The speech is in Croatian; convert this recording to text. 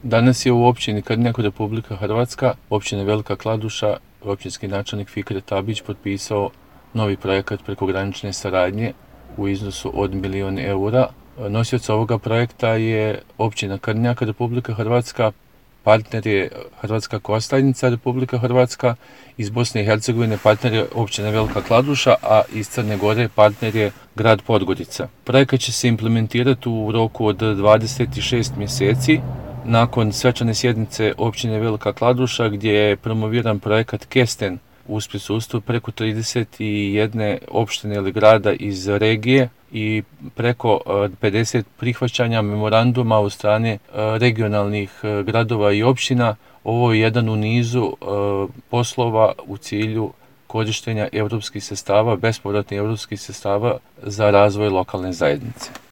Danas je u općini Krnjak, Republika Hrvatska, općina Velika Kladuša, općinski načelnik Fikret Abić potpisao novi projekat prekogranične saradnje u iznosu od 1 milijun eura. Nosioc ovoga projekta je općina Krnjak, Republika Hrvatska, partner je Hrvatska Kostajnica, Republika Hrvatska, iz Bosne i Hercegovine partner je općina Velika Kladuša, a iz Crne Gore partner je grad Podgorica. Projekat će se implementirati u roku od 26 mjeseci. Nakon svečane sjednice općine Velika Kladuša gdje je promoviran projekat Kesten uz prisustvu preko 31 opštine ili grada iz regije i preko 50 prihvaćanja memoranduma od strane regionalnih gradova i općina. Ovo je jedan u nizu poslova u cilju korištenja europskih sredstava, bespovratnih europskih sredstava za razvoj lokalne zajednice.